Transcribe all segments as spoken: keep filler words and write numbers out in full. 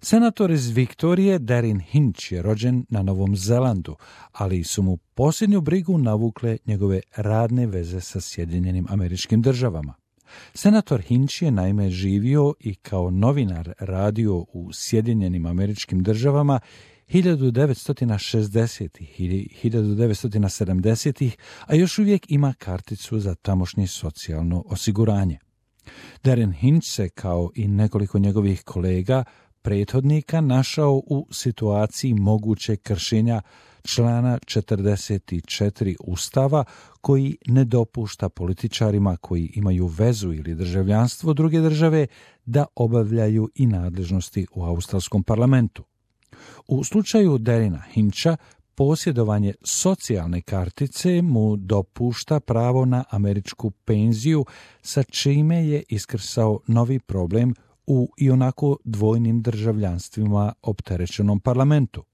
Senator iz Viktorije Darren Hinch je rođen na Novom Zelandu, ali su mu posljednju brigu navukle njegove radne veze sa Sjedinjenim Američkim Državama. Senator Hinch je naime živio i kao novinar radio u Sjedinjenim Američkim Državama hiljadu devetsto šezdesetih i hiljadu devetsto sedamdesetih, a još uvijek ima karticu za tamošnje socijalno osiguranje. Darren Hinch se, kao i nekoliko njegovih kolega, prethodnika, našao u situaciji mogućeg kršenja člana četrdeset četiri Ustava, koji ne dopušta političarima koji imaju vezu ili državljanstvo druge države da obavljaju i nadležnosti u australskom parlamentu. U slučaju Darrena Hincha, posjedovanje socijalne kartice mu dopušta pravo na američku penziju, sa čime je iskrsao novi problem u ionako dvojnim državljanstvima opterećenom parlamentu.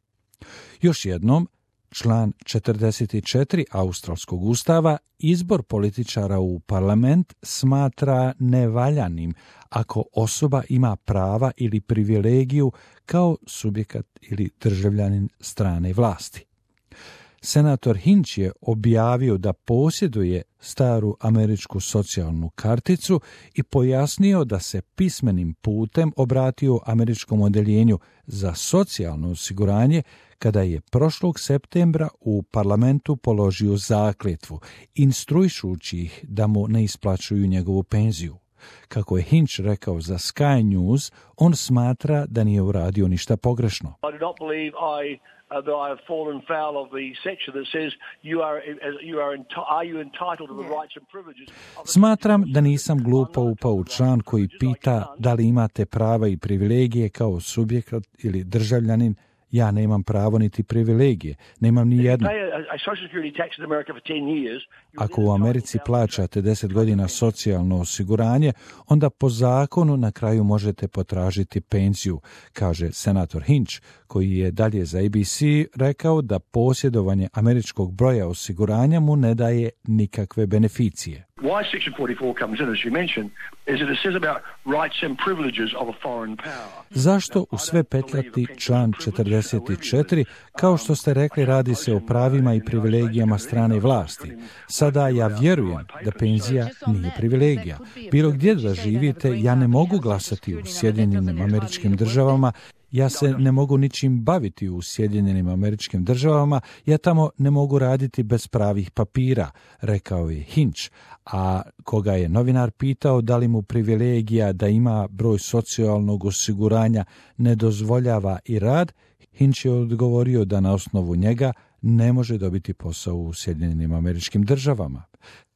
Još jednom, član četrdeset četiri Australskog ustava izbor političara u parlament smatra nevaljanim ako osoba ima prava ili privilegiju kao subjekat ili državljanin strane vlasti. Senator Hinch je objavio da posjeduje staru američku socijalnu karticu i pojasnio da se pismenim putem obratio američkom odeljenju za socijalno osiguranje kada je prošlog septembra u parlamentu položio zakletvu, instruišući ih da mu ne isplaćuju njegovu penziju. Kako je Hinch rekao za Sky News, on smatra da nije uradio ništa pogrešno. I do not believe I Uh, that I have fallen foul of the section that says you are you are are you entitled to the rights and privileges. Smatram da nisam glupo upao u član koji pita da li imate prava i privilegije kao subjekat ili državljanin. Ja nemam pravo niti privilegije, nemam ni jedno. Ako u Americi plaćate deset godina socijalno osiguranje, onda po zakonu na kraju možete potražiti penziju, kaže senator Hinch, koji je dalje za A B C rekao da posjedovanje američkog broja osiguranja mu ne daje nikakve beneficije. Why Section forty-four comes in, as you mentioned, is that it says about rights and privileges of a foreign power. Zašto u sve petljati član četrdeset četiri, kao što ste rekli, radi se o pravima i privilegijama strane vlasti. Sada ja vjerujem da penzija nije privilegija. Bilo gdje da živite, ja ne mogu glasati u Sjedinjenim Američkim Državama, ja se ne mogu ničim baviti u Sjedinjenim Američkim Državama, ja tamo ne mogu raditi bez pravih papira, rekao je Hinch, a koga je novinar pitao da li mu privilegija da ima broj socijalnog osiguranja ne dozvoljava i rad, Hinch je odgovorio da na osnovu njega ne može dobiti posao u Sjedinjenim Američkim Državama.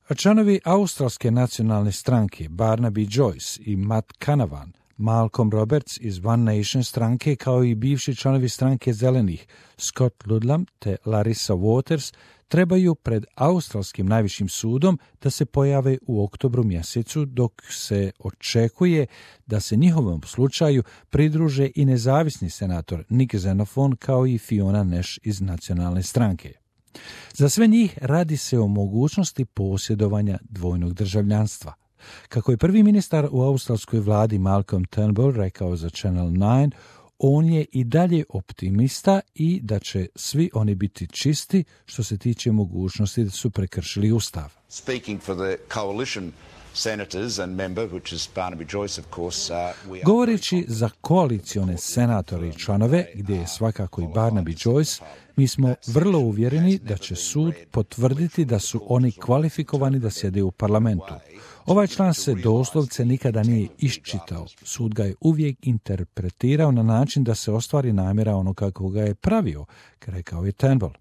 A članovi Australske nacionalne stranke Barnaby Joyce i Matt Canavan, Malcolm Roberts iz One Nation stranke, kao i bivši članovi stranke Zelenih Scott Ludlam te Larissa Waters, trebaju pred australskim najvišim sudom da se pojave u oktobru mjesecu, dok se očekuje da se njihovom slučaju pridruže i nezavisni senator Nick Xenophon kao i Fiona Nash iz nacionalne stranke. Za sve njih radi se o mogućnosti posjedovanja dvojnog državljanstva. Kako je prvi ministar u australskoj vladi Malcolm Turnbull rekao za Channel devet, on je i dalje optimista i da će svi oni biti čisti što se tiče mogućnosti da su prekršili ustav. Speaking for the coalition senators and member, which is Barnaby Joyce, of course, uh, we are... Govoreći za koalicione senatore i članove, gdje je svakako i Barnaby Joyce, mi smo vrlo uvjereni da će sud potvrditi da su oni kvalifikovani da sjede u parlamentu. Ovaj član se doslovce nikada nije iščitao. Sud ga je uvijek interpretirao na način da se ostvari namjera ono kako ga je pravio, rekao je Turnbull.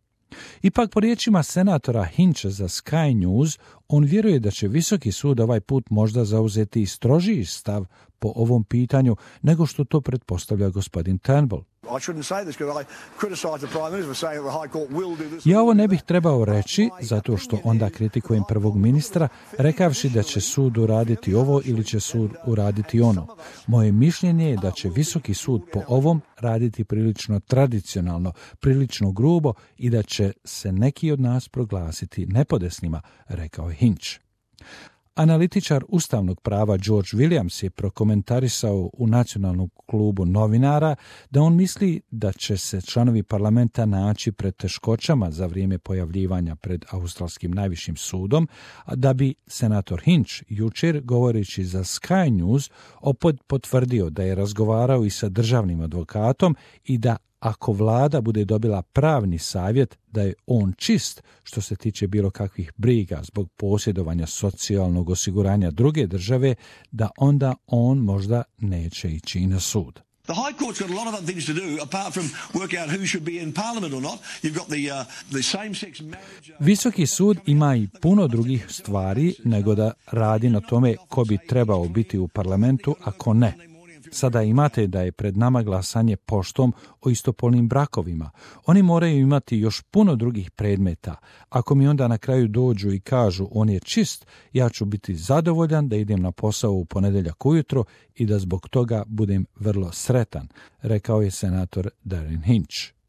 Ipak, po riječima senatora Hincha za Sky News, on vjeruje da će Visoki sud ovaj put možda zauzeti strožiji stav po ovom pitanju nego što to pretpostavlja gospodin Turnbull. Ja ovo ne bih trebao reći zato što onda kritikujem prvog ministra rekavši da će sud uraditi ovo ili će sud uraditi ono. Moje mišljenje je da će Visoki sud po ovom raditi prilično tradicionalno, prilično grubo i da će se neki od nas proglasiti nepodesnima, rekao je Hinch. Analitičar ustavnog prava George Williams je prokomentarisao u Nacionalnom klubu novinara da on misli da će se članovi parlamenta naći pred teškoćama za vrijeme pojavljivanja pred australskim najvišim sudom, a da bi senator Hinch jučer, govoreći za Sky News, opet potvrdio da je razgovarao i sa državnim advokatom i da ako vlada bude dobila pravni savjet da je on čist što se tiče bilo kakvih briga zbog posjedovanja socijalnog osiguranja druge države, da onda on možda neće ići i na sud. The High Court's got a lot of other things to do apart from work out who should be in Parliament or not. You've got the uh, the same-sex marriage. Visoki sud ima i puno drugih stvari nego da radi na tome ko bi trebao biti u parlamentu, a ko ne. Sada imate da je pred nama glasanje poštom o istopolnim brakovima. Oni moraju imati još puno drugih predmeta. Ako mi onda na kraju dođu i kažu on je čist, ja ću biti zadovoljan da idem na posao u ponedjeljak ujutro i da zbog toga budem vrlo sretan, rekao je senator Darren Hinch.